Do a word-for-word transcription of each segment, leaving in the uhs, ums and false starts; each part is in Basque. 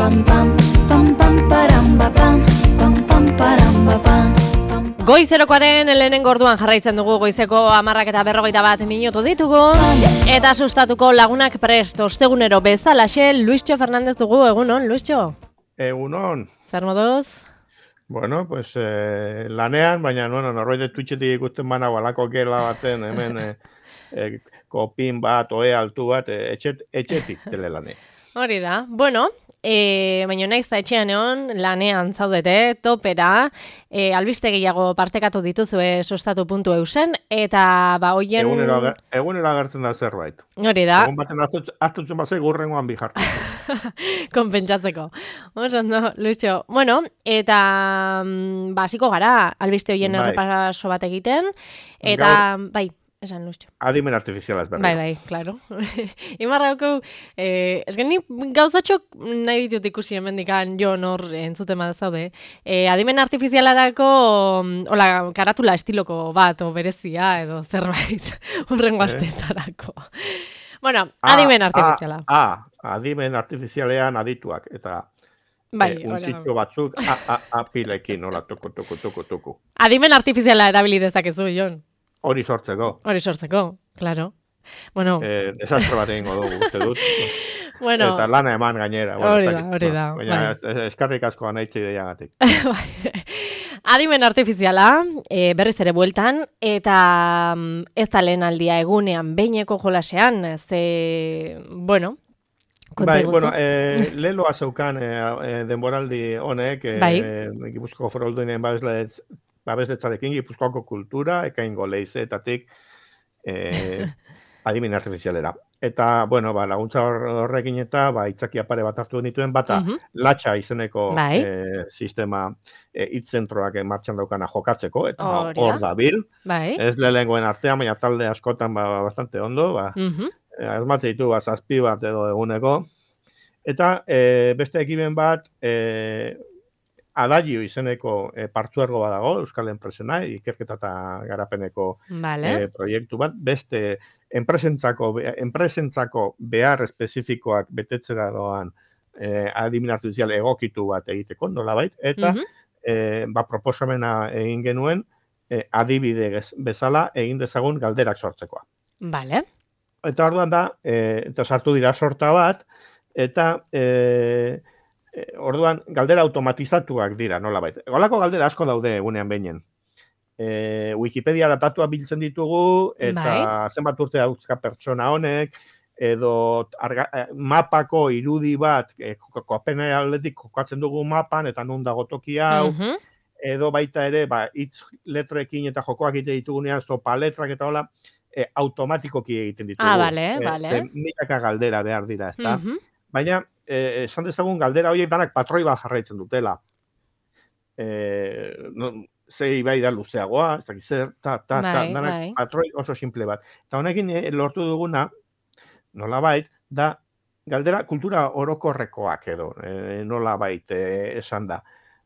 pam pam pam pam param pam pam pam param pam. Goizerokoaren lehenengo orduan jarraitzen dugu, goizeko hamarrak eta berrogeita bat minutu ditugu eta sustatuko lagunak prest, ostegunero bezalaxe Luischo Fernandez dugu, egunon, Luischo? Egunon. Zer moduz? Bueno, pues eh, lanean, baina bueno, norbait Twitchetik ikusten banago alako gela baten, hemen eh, eh, kopin bat, oe altu bat, eh, etxet, etxetik telelane. Hori da, bueno, e, baina naiz da etxean egon, lanean zaudete, topera, e, albiste gehiago partekatu dituzue sustatu puntu eusen, eta ba hoien... Egunero, ager, egunero agertzen da zerbait. Hori da. Egun baten aztutzen bazai gurrengoan bi jartu. Konpentsatzeko. Ondo, Luisio. Bueno, eta basiko gara, albiste hoien bai. errepaso bat egiten, eta Gaur... bai. Esan, Luisio. Adimen artifizialaz berri. Bai, bai, klaro. Imarra hauko, eh, ez geni gauzatxok nahi ditut ikusi hemendikan Jon hor entzuten bat zaude. Eh, adimen artifizialarako, hola, karatula estiloko bat, o berezia, edo zerbait, horrengo asteetarako. Bueno, adimen artifiziala. Ah, ah, adimen artifizialean adituak, eta... Bai, eh, untitxo batzuk, a, a, a, pilekin, hola, tuku, tuku, tuku, tuku. Adimen artifiziala erabili dezakezu, Jon. Hori sortzeko. Hori sortzeko, claro. Bueno... Eh, desastre bat egingo dugu, uste dut. Bueno... Eta lana eman gainera. Hori da, hori da. Baina bai. Eskarrik asko anaitxe ideiagatik. Adimen artifiziala, e, berriz ere bueltan, eta ez da lehen aldia egunean behineko jolasean, ze, bueno... Bai, bueno, eh, leloa zeukan eh, denboraldi honek, eh, bai. Gipuzkoako Foru Aldundiaren babesletz babesletzarekin Gipuzkoako kultura, ekaingo leizeetatik eh, adimen artifizialera. Eta, bueno, ba, laguntza horrekin eta ba, itzakia pare bat hartu nituen, bata uh -huh. latxa izeneko bai. eh, sistema eh, hitzentroak martxan daukana jokatzeko, eta hor ba, da bil. Bai. Ez lehengoen artean, baina talde askotan ba, bastante ondo, ba, uh -huh. asmatze ditu ba, zazpi bat edo eguneko. Eta e, beste ekimen bat, e, Adagio izeneko e, partzuergo badago, Euskal Enpresena, ikerketa eta garapeneko vale. e, proiektu bat, beste enpresentzako, enpresentzako behar espezifikoak betetzera doan e, adimen artifizial egokitu bat egiteko, nolabait, eta uh -huh. e, ba, proposamena egin genuen e, adibide bezala egin dezagun galderak sortzekoa. Vale. Eta orduan da, e, eta sartu dira sorta bat, eta e, e, orduan galdera automatizatuak dira, nolabait. Golako galdera asko daude egunean behinen. E, Wikipedia datua biltzen ditugu, eta bai. Zenbat urte dauzka pertsona honek, edo arga, mapako irudi bat, e, koapena aldetik kokatzen dugu mapan, eta nun dago toki hau, uh -huh. edo baita ere, ba, hitz letrekin eta jokoak egite ditugunean, zopa letrak eta hola, e, automatikoki egiten ditugu. Ah, bale, e, bale. Zen milaka galdera behar dira, ezta? Uh -huh. Baina, eh, esan dezagun galdera horiek danak patroi bat jarraitzen dutela. Eh, no, zei bai da luzeagoa, ez dakiz zer, ta, ta, ta, bai, danak bai. patroi oso simple bat. Eta honekin eh, lortu duguna, nolabait, da galdera kultura orokorrekoak edo, eh, nolabait eh, esan da.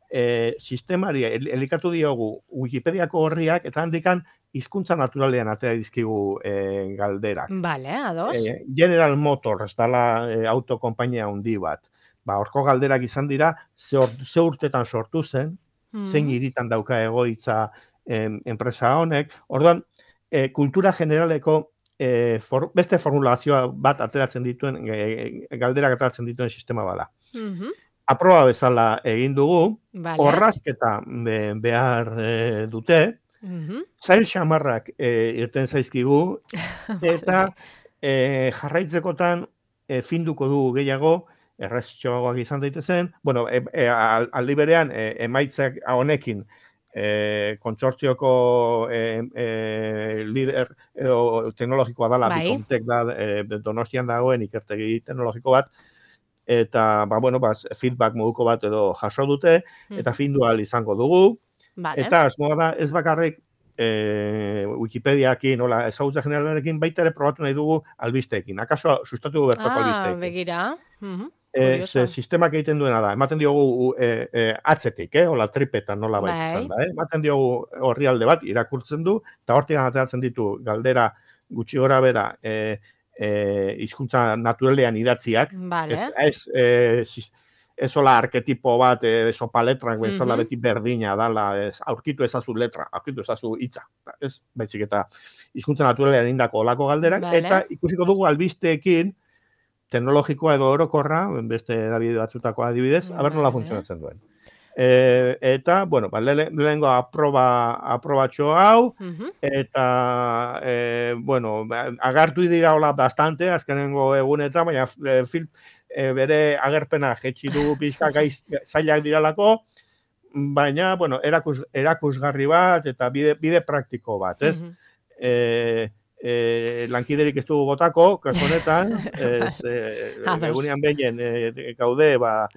Eh, sistemari elikatu diogu Wikipediako horriak, eta handikan hizkuntza naturalean atera dizkigu e, galderak. Vale, ados. E, General Motors, dala e, autokompainia handi bat. Ba, horko galderak izan dira, ze, or, ze urtetan sortu zen, mm. zein hiritan dauka egoitza em, enpresa honek. Orduan, e, kultura generaleko e, for, beste formulazioa bat ateratzen dituen, e, galderak ateratzen dituen sistema bada. Mm-hmm. Aproba bezala egin dugu, vale. Orrazketa be, behar e, dute, Mm-hmm. zail xamarrak e, irten zaizkigu, eta e, jarraitzekotan e, finduko dugu gehiago, erreztxoagoak izan daitezen, bueno, e, e, aldi berean e, emaitzak honekin e, kontsortzioko e, e, lider e, teknologikoa dala, bai. Bikomtek da, e, Donostian dagoen ikertegi teknologiko bat, eta ba, bueno, ba, feedback moduko bat edo jaso dute, mm. eta findu ahal izango dugu. Vale. Eta asmoa da ez bakarrik e, Wikipediakin, nola, ezagutza generalarekin baita ere probatu nahi dugu albisteekin. Akaso sustatu du bertako ah, albisteekin. Ah, begira. Uh-huh. E, ze sistemak egiten duena da. Ematen diogu e, e, atzetik, eh? Ola tripetan nola baita izan da. Eh? Ematen diogu horrialde bat irakurtzen du, eta hortik ateratzen ditu galdera gutxi gora bera e, e, hizkuntza naturalean idatziak. Vale. Ez, ez e, ezola arketipo bat, eso paletrak bezala Mhm. beti berdina dala, ez, aurkitu ezazu letra, aurkitu ezazu hitza. Ez, baizik eta hizkuntza naturalean indako olako galderak, Vale. eta ikusiko dugu albisteekin teknologikoa edo orokorra, beste edabide batzutako adibidez, aber nola Vale. funtzionatzen duen. E, eta, bueno, ba, le, lehengo aproba, aprobatxo hau, Mhm. eta, e, bueno, agartu dira hola bastante, azkenengo egunetan, baina e, fil, e, bere agerpena jetxi du pixka gaiz, zailak diralako, baina, bueno, erakus, erakusgarri bat, eta bide, bide praktiko bat, ez? Mhm. E, e, lankiderik ez dugu botako, kasu honetan, ez, e, Ados. egunean behinen e, gaude, ba,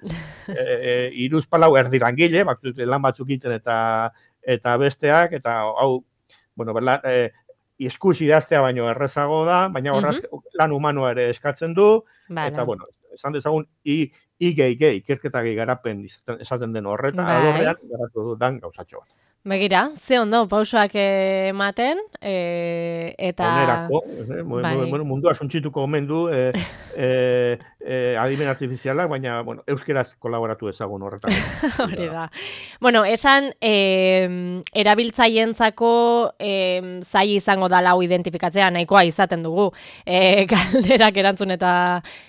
e, e, iruz palau erdi langile, batzuk, lan batzuk itzen eta eta besteak, eta hau, bueno, berla, e, iskus idaztea baino errezago da, baina horraz lan humanoa ere eskatzen du, Vale. eta, bueno, esan dezagun, i, i gehi gehi, ikerketa gehi garapen izaten- esaten den horretan, Bai. alorrean garatu dudan gauzatxo bat. Begira, ze ondo, pausoak ematen, e, eta... Onerako, eh, mu- Bai. mu- bueno, mundua suntsituko omen du eh, eh, eh, adimen artifizialak, baina, bueno, euskeraz kolaboratu ezagun horretan. Hori da. Bueno, esan, eh, erabiltzaientzako eh, zaila izango da lau identifikatzea, nahikoa izaten dugu. Eh, galderak erantzun eta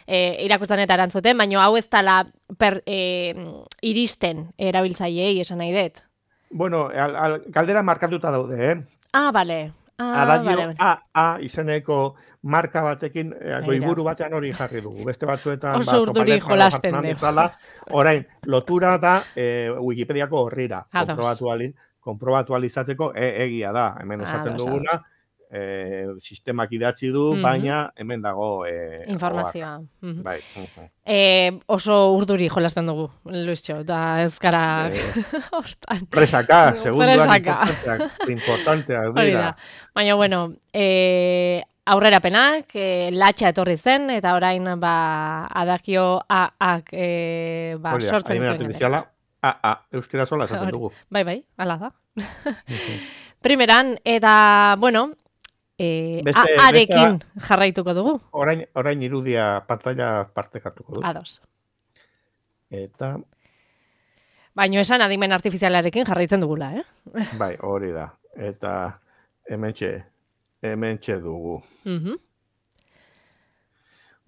eh, irakurtzen eta erantzuten, baina hau ez dela per, eh, iristen erabiltzaileei esan nahi dut. Bueno, al, al, galdera markatuta daude, eh? Ah, bale. Ah, Adadio bale, bale. A A izeneko marka batekin, eh, Begira. goiburu batean hori jarri dugu. Beste batzuetan, Oso urduri Zopaletra jolasten jartzen dugu. bezala, orain, lotura da eh, Wikipediako horrira. Ados. Konprobatu ali, konprobatu alizateko e, egia da. Hemen esaten Ados, duguna, eh, sistemak idatzi du, Mhm. baina hemen dago eh, Informazioa. Mhm. Bai. mhm. Eh, oso urduri jolasten dugu, Luisxo, eta ez gara Eh, hortan. Presaka, segunduan Presaka. importanteak, importanteak Hori dira. da. Baina, bueno, eh, aurrerapenak, eh, latxa etorri zen, eta orain, ba, adakio A-ak eh, ba, Hori da, sortzen adimen dituen. artifiziala, A A, euskera sola esaten Hori. dugu. Bai, bai, ala da. Primeran, eta, bueno, eh, Beste- A-arekin jarraituko dugu. Orain, orain irudia pantalla partekatuko du. Ados. Eta, Baina esan adimen artifizialarekin jarraitzen dugula, eh? bai, hori da. Eta hementxe, hementxe dugu. Mhm.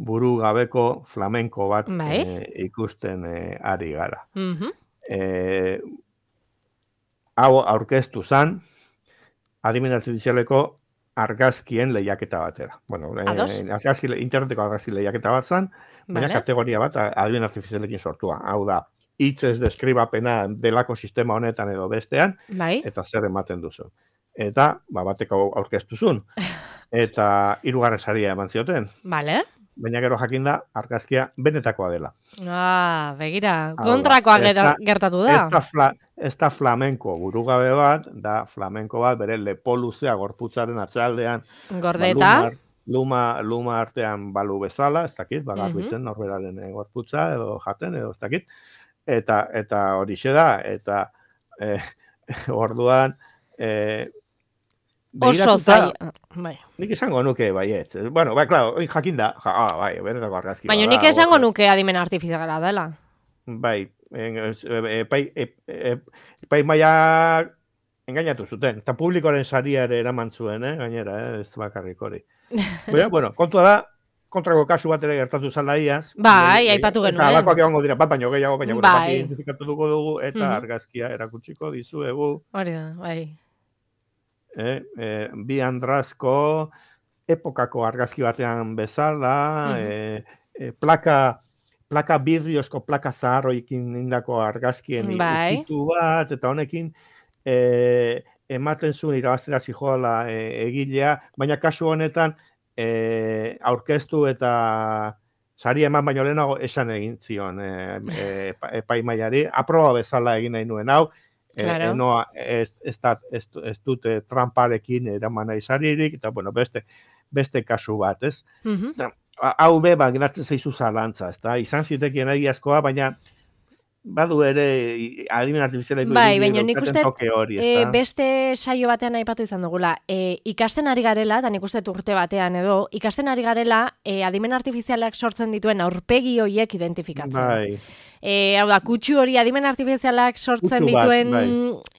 Buru gabeko flamenko bat Bai. eh, ikusten eh, ari gara. Mhm. Eh, hau aurkeztu zan, adimen artifizialeko argazkien lehiaketa batera. Bueno, eh, Ados. argazki, interneteko argazki lehiaketa bat zan, baina Vale. kategoria bat adimen artifizialekin sortua. Hau da, hitzez deskribapena delako sistema honetan edo bestean, Bai. eta zer ematen duzu. Eta, ba, bateko aurkeztu zuen. Eta hirugarren saria eman zioten. Vale. Baina gero jakinda argazkia benetakoa dela. Ah, begira, Hau da, kontrakoa ez gero- da- gertatu da. Ez da, fla, ez da flamenko burugabe bat, da flamenko bat bere lepo luzea gorputzaren atzealdean Gordeta. Ba, luma, luma artean balu bezala, ez dakit, bagarbitzen Mhm. norberaren eh, gorputza edo jaten edo ez dakit. Eta eta horixe da, eta eh, orduan eh, Oso begiratuta, zaila. Bai. nik esango nuke baietz. Bueno, bai, claro, hori jakinda, ja, ah, bai, benetako argazki Baina bada, nik esango hor- nuke adimen artifiziala dela. Bai, en- ez- e- epai, e- e- epai maia engainatu zuten. Eta publikoaren saria ere eraman zuen, eh? Gainera, eh? Ez bakarrik hori. Baina, bueno, kontua da, kontrako kasu bat ere gertatu zala iaz. Bai, Eta aipatu genuen. alakoak egongo dira, bat baino gehiago, baina gure Bai. bat identifikatu dugu dugu, eta Mhm. argazkia erakutsiko dizuegu. Hori da, bai. Eh, eh, bi andrazko epokako argazki batean bezala, Mhm. eh, eh, plaka, plaka bidriozko plaka zaharroikin indako argazkien Bai. ukitu bat, eta honekin eh, ematen zuen irabaztera zijoala eh, egilea, baina kasu honetan eh, aurkeztu eta sari eman baino lehenago esan egin zion eh, eh, epa- epaimaiari, aproba bezala egin nahi nuen hau, Eh, Claro. eh, noa, ez, ez, da, ez, ez dute tramparekin eraman nahi saririk, eta bueno, beste, beste kasu bat, ez? Mhm. Hau be, ba, geratzen zaizu zalantza, ez da? Izan zitekien egiazkoa, baina badu ere adimen artifizialeko Bai, irudiek baina nik daukaten uste toke hori, e, ezta? beste saio batean aipatu izan dugula. E, ikasten ari garela, eta nik uste urte batean edo, ikasten ari garela e, adimen artifizialak sortzen dituen aurpegi horiek identifikatzen. Bai. E, hau da, kutsu hori adimen artifizialak sortzen Kutsu bat, dituen bai.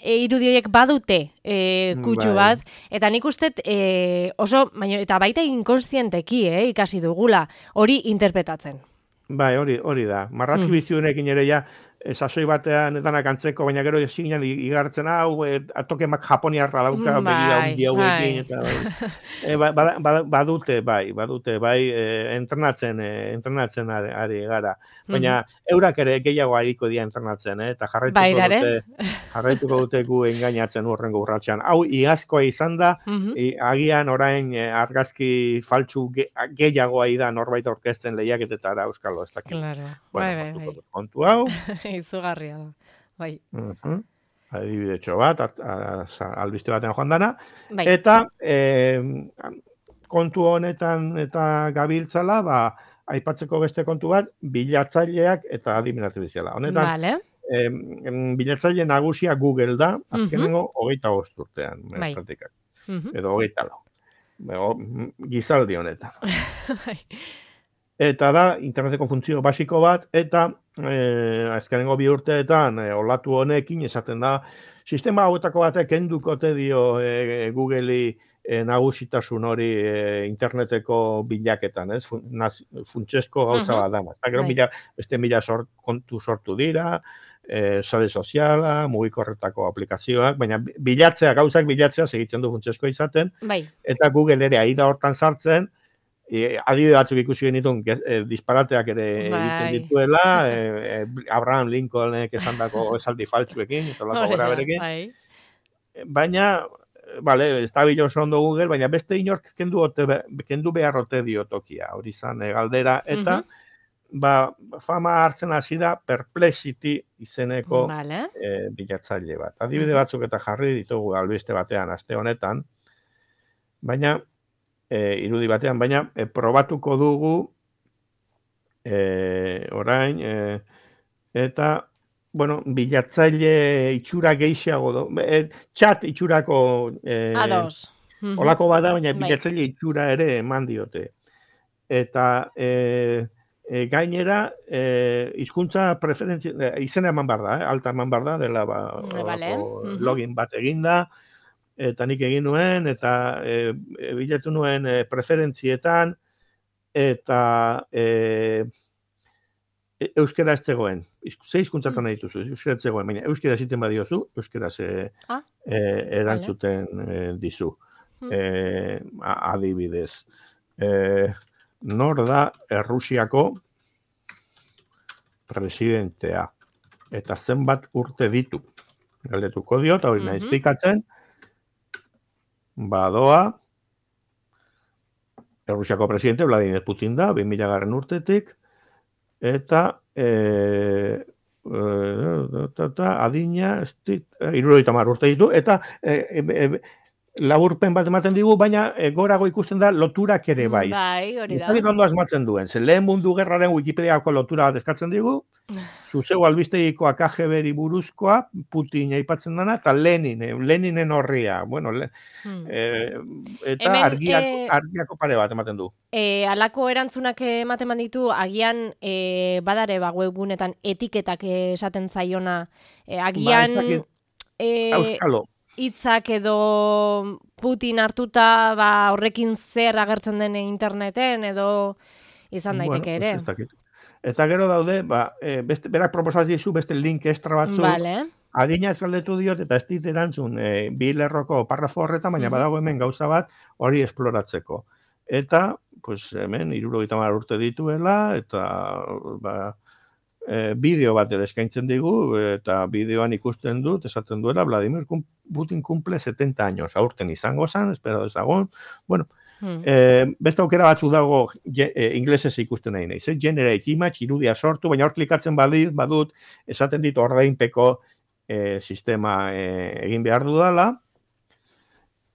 e, irudi horiek badute e, kutsu Bai. bat, eta nik uste e, oso, baina, eta baita inkonstienteki eh, ikasi dugula hori interpretatzen. Bai, hori, hori da. Marrazki Mm. biziunekin ere ja, eh, sasoi batean danak antzeko, baina gero ezinan igartzen hau, e, atokemak japoniarra dauka, Mm, begira bai, hundi hauekin, bai. eta bai. E, ba, ba, ba, badute, bai, badute, bai, e, entrenatzen, e, entrenatzen ari, ari gara. Baina eurak ere gehiago ariko dira entrenatzen, eh? Eta jarraituko Bairare. dute, jarraituko dute gu engainatzen urrengo urratxean. Hau, iazkoa izan da, Mhm. i, agian orain e, argazki faltsu ge, gehiagoa da norbait aurkezten lehiaketetara euskalo, ez dakit. Claro. Bueno, Bai, bai, kontuko bai. dut kontu hau. Izugarria da. Bai. Uh-huh. Adibidetxo bat, at, a, a, albiste batean joan dana. Bai. Eta eh, kontu honetan eta gabiltzala, ba, aipatzeko beste kontu bat, bilatzaileak eta adimen artifiziala. Honetan, Vale. eh, bilatzaile nagusia Google da, azkenengo hogeita bost urtean, Bai. pratikak. Mhm. Edo hogeita lau. Ego, gizaldi honetan. Bai. Eta da, interneteko funtzio basiko bat, eta eh, azkenengo bi urteetan eh, olatu honekin esaten da, sistema hauetako batek kendukote dio eh, Google'i eh, nagusitasun hori eh, interneteko bilaketan, ez? Fun, naz, funtsezko gauza bat da. Eta gero Bai. mila, beste mila sort, kontu sortu dira, eh, sare soziala, mugikorretako aplikazioak, baina bilatzea, gauzak bilatzea segitzen du funtsezkoa izaten, Bai. eta Google ere aida hortan sartzen, E, adibide batzuk ikusi genitun, e, disparateak ere Bai. egiten dituela, e, e, Abraham Lincolnek esandako esaldi faltsuekin, eta lako Hori gora da, berekin. bai. Baina, bale, ez da bilo oso ondo Google, baina beste inork kendu, ote, kendu beharrote dio tokia, hori izan e, galdera, eta ba, fama hartzen hasi da Perplexity izeneko Vale. e, bilatzaile bat. Adibide batzuk eta jarri ditugu albiste batean aste honetan, baina E, irudi batean, baina e, probatuko dugu e, orain e, eta bueno, bilatzaile itxura gehiago do, e, chat itxurako e, Ados. Olako bada, baina Bai. bilatzaile itxura ere eman diote. Eta e, e, gainera e, hizkuntza preferentzia e, izena eman behar da, eh? Alta eman behar da, dela ba, Vale. login bat eginda, eta nik egin nuen, eta e, e, bilatu nuen e, preferentzietan, eta e, e, euskera ez zegoen. Ze hizkuntzatan nahi dituzu, euskera ez zegoen, baina euskera ziten badiozu, euskera ze Ah, e, erantzuten e, dizu. E, adibidez. E, nor da Errusiako presidentea, eta zenbat urte ditu. Galdetuko dio, eta hori nahi esplikatzen, badoa, Errusiako presidente Vladimir Putin da, bi mila garren urtetik, eta e, e, ta, ta, adina, hirurogeita hamar urte ditu, eta e, e, e, laburpen bat ematen digu, baina e, gorago ikusten da loturak ere bai. Bai, hori da. Ez dakit ondo asmatzen duen, ze lehen mundu gerraren Wikipediako lotura bat eskatzen digu, zuzeu albistegiko A K G B-ri buruzkoa, Putin aipatzen dana, eta Lenin, Leninen horria, bueno, le, Hmm. e, eta Hemen, argiak, e, argiako pare bat ematen du. E, alako erantzunak ematen ditu, agian e, badare ba, webunetan etiketak esaten zaiona, e, agian Ba, e, Euskalo. hitzak edo Putin hartuta ba, horrekin zer agertzen den interneten edo izan daiteke Bueno, ere. ez dakit. Eta gero daude, ba, e, beste, berak proposatzen dizu beste link extra batzuk, Vale. adina ez galdetu diot, eta ez dit erantzun e, bi lerroko parrafo horretan, baina Mhm. badago hemen gauza bat hori esploratzeko. Eta, pues hemen, hirurogeita hamar urte dituela, eta ba, e, bideo bat ere eskaintzen digu, eta bideoan ikusten dut, esaten duela, Vladimir Putin cumple setenta años, aurten izango zen, espero dezagun, bueno, Hmm. E, beste aukera batzu dago e, inglesez ikusten nahi nahi. Ze generate image, irudia sortu, baina hor klikatzen badit, badut, esaten dit ordainpeko e, sistema e, egin behar dudala.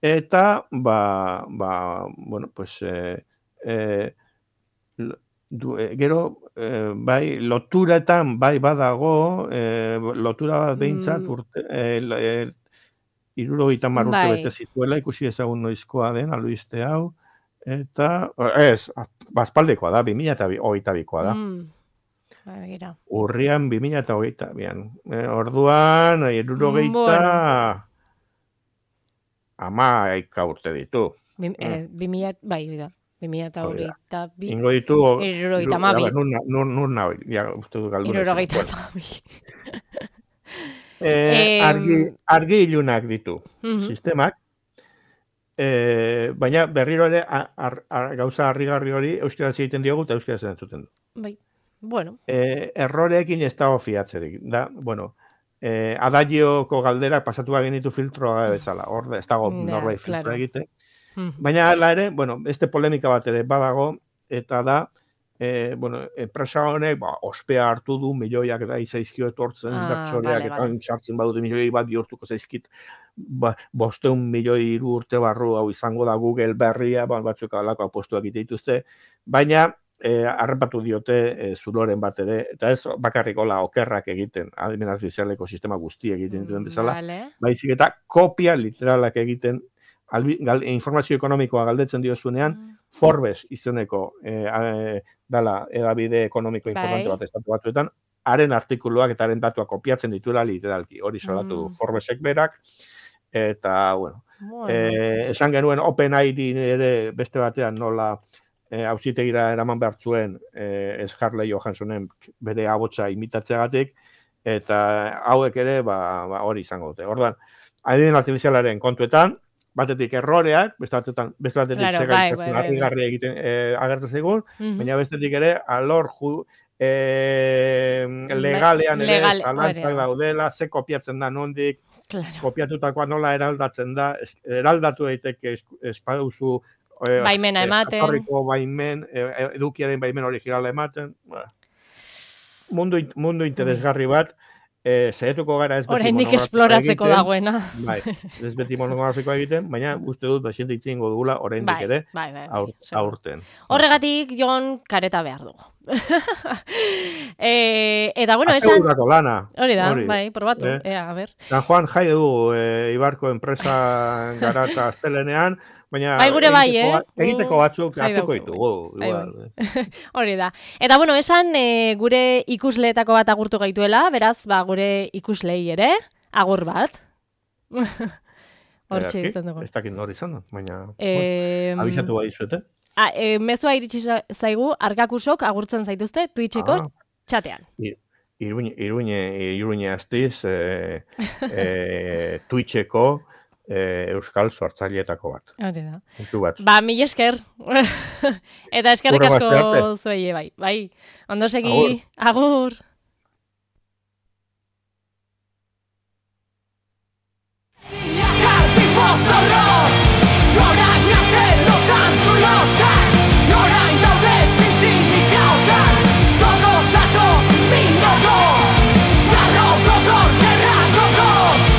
Eta, ba, ba bueno, pues, e, e, du, e, gero, e, bai, loturetan bai badago, e, lotura bat behintzat, Mm, urte, e, e, irurogeita hamar urte bete bai. zituela, ikusi ezagun noizkoa den, albiste hau, eta, ez, bazpaldekoa da, bi mila hogeita bikoa da. Mm, bai, begira. Urrian bi mila hogeita bian. E, orduan, irurogeita Bueno, hamaika urte ditu. bi, Mm. eh, bi mila, bai, hori da. bi mila eta Hori da. hogeita bi, Ingo ditu, hirurogeita a hamabi. ber, nun, nun, nun nahi, ja, uste du galdu nahi. Hirurogeita Bueno, hamabi. eh, argi, Em, argi ilunak ditu mhm, sistemak, eh, baina berriro ere a- ar- ar- gauza harrigarri hori euskaraz egiten diogu eta euskaraz entzuten du. bai. Bueno, Eh, erroreekin ez dago fiatzerik. Da, bueno, eh, adagioko galderak pasatu genitu filtroa bezala. Hor ez dago ja, norbait filtroa claro. egite. Mhm. Baina hala ere, bueno, beste polemika bat ere badago, eta da, eh, bueno, enpresa honek, ba, ospea hartu du, milioiak da izaizkio etortzen, Ah, inbertsoreak, vale, eta vale. sartzen badute milioi bat bihurtuko zaizkit, ba, bosteun milioi hiru urte barru hau izango da Google berria, ba, batzuk alako apostuak egite dituzte, baina, eh, harrapatu diote eh, zuloren bat ere, eta ez bakarrik hola okerrak egiten, adimen artifizialeko sistema guzti egiten dituen bezala, Vale. baizik eta kopia literalak egiten, albi, gal, informazio ekonomikoa galdetzen diozunean, Mm. Forbes izeneko e, e, dala edabide ekonomiko importante Bai. bat estatu batuetan, haren artikuluak eta haren datuak kopiatzen dituela literalki. Hori salatu du Mm. Forbesek berak, eta, bueno, Bueno. e, esan genuen OpenAI ere beste batean nola e, auzitegira eraman behar zuen e, Scarlett Johanssonen bere abotsa imitatzeagatik, eta hauek ere ba, ba, hori izango dute. Orduan, adibideen artifizialaren kontuetan, batetik erroreak, beste batetan, beste batetik Claro, claro, bai, zegaitasun bai, bai, bai. harrigarria egiten eh, agertzen zaigun, Mhm. baina bestetik ere alor ju, eh, legalean ere legal, zalantzak hori da. daudela, ze kopiatzen da nondik, Claro. kopiatutakoa nola eraldatzen da, es, eraldatu daiteke es, espaduzu eh, Baimena ematen. jatorriko baimen, eh, edukiaren baimen originala ematen, ba, mundu, mundu interesgarri bat, eh, saiatuko gara ez beti Oraindik monografikoa esploratzeko egiten. dagoena. Bai, ez beti monografikoa egiten, baina uste dut basiente itzingo dugula oraindik Bai, ere bai, bai, bai, aur, seguro. aurten. Horregatik, Jon, kareta behar dugu. e, eta, bueno, esan... Asegurako lana. Hori da, hori. bai, probatu, Eh? ea, a ber. San Juan jai du e, Ibarko enpresa gara eta astelenean, baina Bai, gure bai, egiteko, eh? ba- egiteko Gu batzuk jai hartuko daukagu, ditugu. bai, Igual. Hori da. Eta, bueno, esan e, gure ikusleetako bat agurtu gaituela, beraz, ba, gure ikuslei ere, agur bat. Hortxe Ederki, izan dugu. ez dakit nori izan, baina E, bueno, abisatu bai zuete. ah, e, mezua iritsi za- zaigu, arkakusok agurtzen zaituzte, Twitcheko Ah. txatean. Iruñe, Iruñe, Iruñe astiz, e, e, Twitcheko e, Euskal sortzaileetako bat. Hori da. Puntu bat. Ba, mil esker. Eta eskerrik Hurrengo asko aste arte. zuei bai. Bai, ondo Agur. segi, agur.